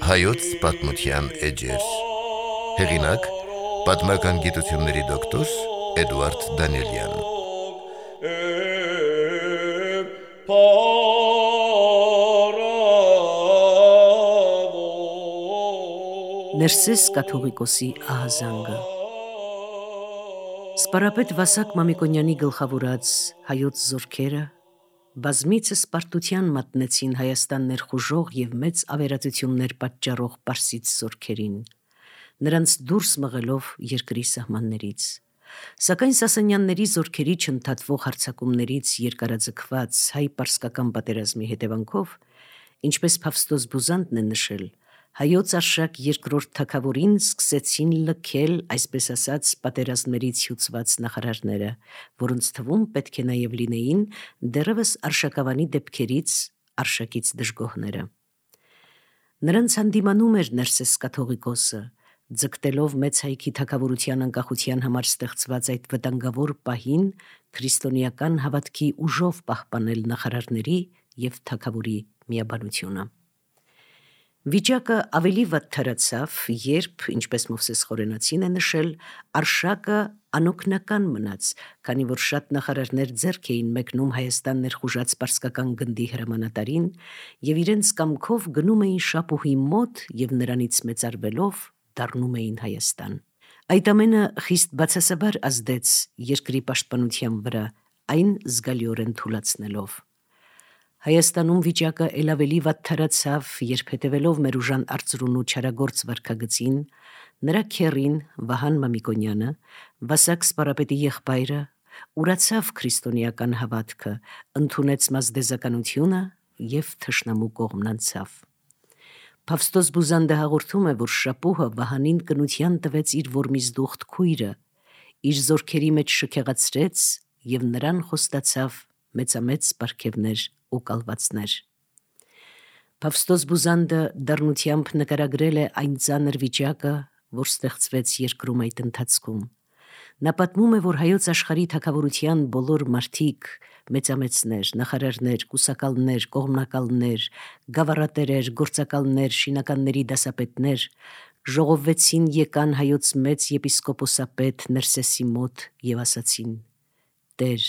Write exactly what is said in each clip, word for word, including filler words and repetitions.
Հայոց պատմության էջեր։ Հեղինակ՝ պատմական գիտությունների դոկտոր Էդուարդ Դանիելյան։ Ներսես կաթողիկոսի ահազանգը։ Սպարապետ Վասակ Մամիկոնյանի գլխավորած հայոց զորքերը բազմիցս պարտության մատնեցին Հայաստան ներխուժող և մեծ ավերածություններ պատճառող պարսից զորքերին, նրանց դուրս մղելով երկրի սահմաններից։ Սակայն Սասանյանների զորքերի չընդհատվող հարձակումներից երկարաձգված հայ-պարսկական պատերազմի հետևանքով, ինչպես Փավստոս Բուզանդն է նշել, հայոց Արշակ երկրորդ թագավորին սկսեցին լքել, այսպես ասած, պատերազմներից հյուծված նախարարները, որոնց թվում պետք է նաև լինեին դեռևս Արշակավանի դեպքերից Արշակից դժգոհները։ Նրանց հանդիմանում էր Ներսես կաթողիկոսը, ձգտելով մեծ հայքի թագավորության անկախության համար ստեղծված այդ վտանգավոր պահին քրիստոնեական հավատքի ուժով պահպանել նախարարների և թագավորի միաբանությունը։ Վիճակը ավելի վատ թարացավ, երբ, ինչպես Մովսես Խորենացին է նշել, Արշակը անօգնական մնաց, քանի որ շատ նախարարներ ձեռք էին մեկնում Հայաստան ներխուժած պարսկական գնդի հրամանատարին և իրենց կամքով գնում էին Շապուհի մոտ և նրանից մեծարվելով դառնում էին Հայաստան։ Այդ ամենը խիստ բացասաբար ազդեց երկրի պաշտպանության վրա, այն զգալիորեն թուլացնելով։ Հայաստանում վիճակը էլ ավելի վատ թարացավ, երբ հետևելով մեր ուժան արծրունու չարագործ վարքագծին, նրա քեռին Վահան Մամիկոնյանը, Վասակ Սպարապետի եղբայրը, ուրացավ քրիստոնեական հավատքը, ընդունեց մազդեզականությունը և թշնամու կողմն անցավ։ Փավստոս Բուզանդը հաղորդում է, որ Շապուհը Վահանին կնության տվեց իր որմիզդուխտ քույրը, իր զորքերի մեջ շքեղացրեց և նրան խոստացավ մեծամեծ պարգևներ ու կալվածներ։ Փավստոս Բուզանդը դառնությամբ նկարագրել է այն ծանր վիճակը, որ ստեղծվեց երկրում այդ ընթացքում։ Նա պատմում է, որ հայոց աշխարհի թագավորության բոլոր մարդիկ, մեծամեծներ, նախարարներ, կուսակալներ, կողմնակալներ, գավառատերեր, գործակալներ, շինականների դասապետներ ժողովվեցին եկան հայոց մեծ եպիսկոպոսապետ Ներսեսի մոտ և ասացին. «Տեր,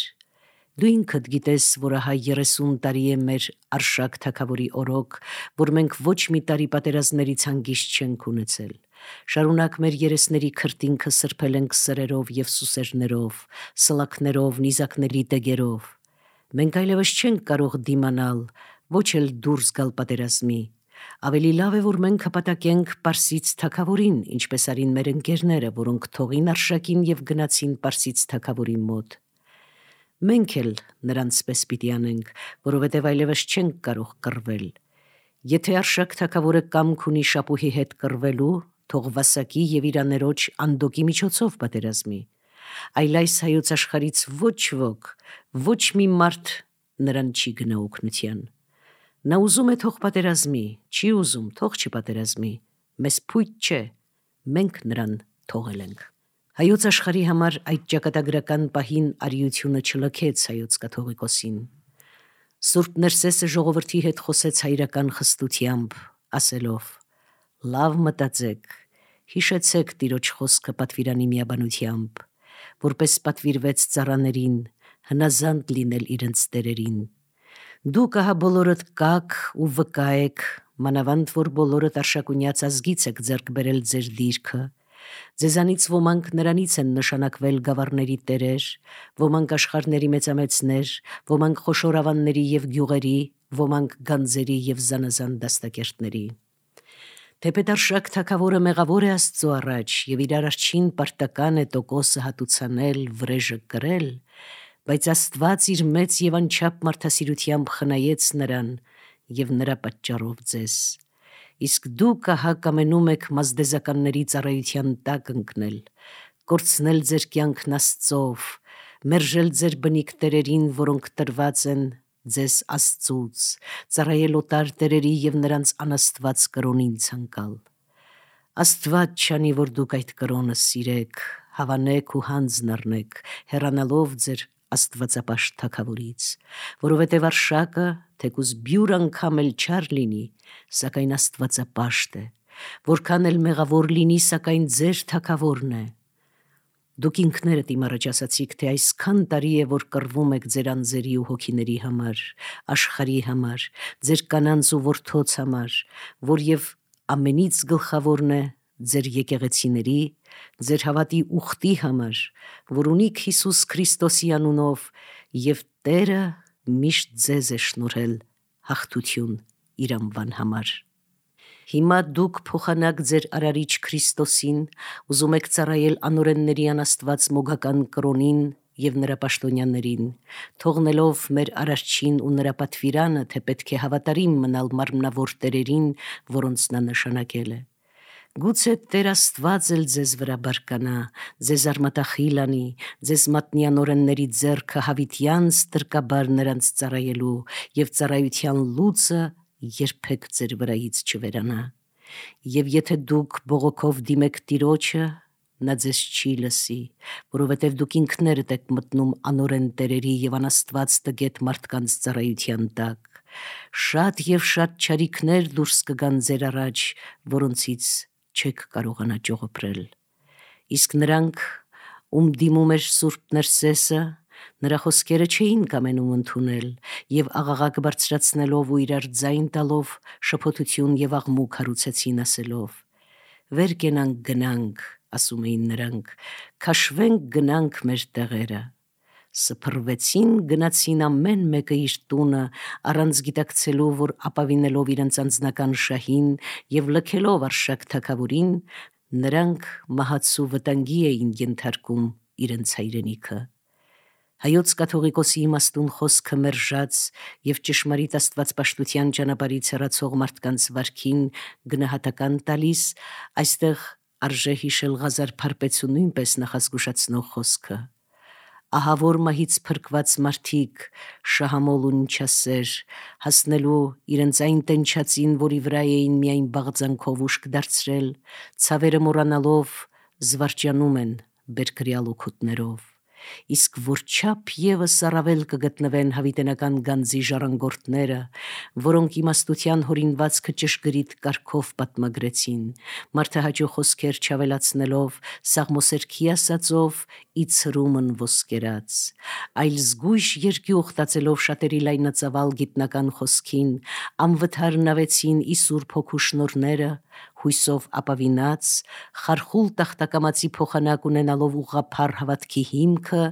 դու ինքդ գիտես, որ ահա երեսուն տարի է մեր Արշակ թագավորի օրոք, որ մենք ոչ մի տարի պատերազմներից հանգիստ չենք ունեցել։ Շարունակ մեր երեսների քրտինքը սրբել ենք սրերով և սուսերներով, սլաքներով, նիզակների դեգերով։ Մենք այլևս չենք կարող դիմանալ, ոչ էլ դուրս գալ պատերազմի։ Ավելի լավ է, որ մենք հպատակենք Պարսից թագավորին, ինչպես արին մեր ընկերները, որոնք թողին Արշակին և գնացին Պարսից թագավորի մոտ։ Մենք էլ նրանց պես պիտի անենք, որովհետև այլևս չենք կարող կռվել։ Եթե Արշակ թագավորը կամք ունի Շապուհի հետ կռվելու, թող Վասակի և իր աներոջ Անդոկի միջոցով պատերազմի, այլ այս հայոց աշխարհից ոչ ոք, ոչ մի մարդ նրան չի գնա օգնության։ Նա ուզում է թող պատերազմի, չի ուզում թող չպատերազմի, մեզ փույթ չէ, մենք նրան թողել ենք»։ Հայոց աշխարհի համար այդ ճակատագրական պահին արիությունը չլքեց հայոց կաթողիկոսին։ Սուրբ Ներսեսը ժողովրդի հետ խոսեց հայրական խստությամբ, ասելով. «Լավ մտածեք, հիշեցեք տիրոջ խոսքը պատվիրանի միաբանությամբ, որպես պատվիրվեց ծառաներին, հնազանդ լինել իրենց տերերին։ Դուք ահա բոլորդ կաք ու վկա եք, մանավանդ որ բոլորդ Արշակունյաց ազգից եք ձեռք բերել ձեր դիրքը։ Ձեզանից ոմանք նրանից են նշանակվել գավառների տերեր, ոմանք աշխարհների մեծամեծներ, ոմանք խոշոր ավանների և գյուղերի, ոմանք գանձերի և զանազան դաստակերտների։ Թեպետ Արշակ թագավորը մեղավոր է Աստծո առաջ և իր առաջին պարտական է տոկոսը հատուցանել, վրեժը կրել, բայց Աստված իր մեծ և անչափ մարդասիրությամբ խնայեց նրան և նրա պատճառով ձեզ։ Իսկ դուք ահա կամենում եք մազդեզականների ծառայության տակ ընկնել, կորցնել ձեր կյանքն Աստծով, մերժել ձեր բնիկ տերերին, որոնք տրված են ձեզ Աստծուց, ծառայել օտար տերերի և նրանց անաստված կրոնին ցանկալ։ Աստված չանի, որ դուք այդ կրոնը սիրեք, Հավանեք ու հանձն առնեք, հեռանալով ձեր աստվածապաշտ թագավորից, որովհետև արշակը, թեկուզ բյուր անգամ էլ չար լինի, սակայն աստվածապաշտ է, որքան էլ մեղավոր լինի, սակայն ձեր թագավորն է։ Դուք ինքներդ իմ առաջ ասացիք, թե այսքան տարի է, որ կռվում եք ձեր անձերի ու հոգիների համար, աշխարհի համար, ձեր կանանց ու որդոց համար, որ եւ ամենից գլխավորն է ձեր եկեղեցիների, ձեր հավատի ուխտի համար, որ ունիք Հիսուս Քրիստոսի անունով, եւ Տերը միշտ ձեզ է շնորհել հաղթություն իր անվան համար։ Հիմա դուք փոխանակ ձեր արարիչ Քրիստոսին, ուզում եք ծառայել անօրենների անաստված մոգական կրոնին եւ նրա պաշտոնյաներին, թողնելով մեր արարչին ու նրա պատվիրանը, թե պետք է հավատարիմ մնալ մարմնավոր տերերին, որոնց նա նշանակել է։ Գուցե Տեր Աստված էլ ձեզ վրա բարկանա, ձեզ արմատախիլ անի, ձեզ մատնի անօրենների ձեռքը հավիտյանց տրկաբար նրանց ծառայելու եւ ծառայության լուծը երբեք ձեր վրայից չվերանա։ Եվ եթե դուք բողոքով դիմեք Տիրոջը, նա ձեզ չի լսի, որովհետև դուք ինքներդ եք մտնում անօրեն տերերի եւ անաստված տգետ մարդկանց ծառայության տակ։ Շատ եւ շատ չարիքներ դուրս կգան ձեր առաջ, որոնցից չեք կարողանա ճողոպրել։ Իսկ նրանք, ում դիմում էր Սուրբ Ներսեսը, նրա խոսքերը չէին կամենում ընդունել եւ աղաղակ բարձրացնելով ու իրար ձայն տալով շփոթություն եւ աղմուկ հարուցեցին ասելով. «Վեր կենանք գնանք», ասում էին նրանք, «քաշվենք գնանք մեր տեղերը»։ Սփռվեցին, գնացին ամեն մեկը իր տունը, առանց գիտակցելու, որ ապավինելով իրենց անձնական շահին եւ լքելով արշակ թագավորին, նրանք մահացու վտանգի էին ենթարկում իրենց հայրենիքը։ Հայոց կաթողիկոսի իմաստուն խոսքը մերժած եւ ճշմարիտ աստվածպաշտության ճանապարհից հեռացող մարդկանց վարքին գնահատական տալիս, այստեղ արժե հիշել Ղազար Փարպեցու նույնպես նախազգուշացնող խոսքը. «Ահավոր մահից փրկված մարդիկ, շահամոլ ու նչասեր, հասնելու իրենց այն տենչածին, որի վրա էին միայն բաղձանքով ուշք դարձրել, ցավերը մոռանալով զվարճանում են բերքրյալ օգուտներով։ Իսկ որչափ ևս առավել կգտնվեն հավիտենական գանձի ժառանգորդները, որոնք իմաստության հորինվածքը ճշգրիտ կարգով պատմագրեցին, մարդահաճո խոսքեր չավելացնելով, սաղմոսերքի ասածով ի ցրումն ոսկերած, այլ զգույշ երկյուղ տածելով շատերի լայնածավալ գիտնական խոսքին, անվթար նավեցին ի Սուրբ Հոգու շնորհները, հույսով ապավինած, խարխուլ տախտակամածի փոխանակ ունենալով ուղղափառ հավատքի հիմքը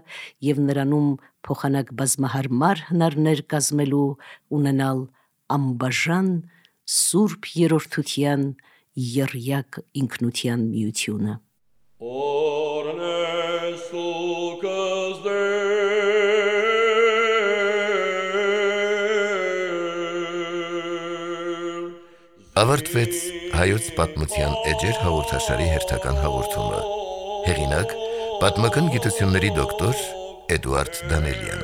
եւ նրանում փոխանակ բազմահարմար հնարներ կազմելու ունենալ անբաժան Սուրբ Երրորդության եռյակ ինքնության միությունը»։ Ավարտվեց հայոց պատմության էջեր հաղորդաշարի հերթական հաղորդումը։ Հեղինակ՝ պատմական գիտությունների դոկտոր Էդուարդ Դանելյան։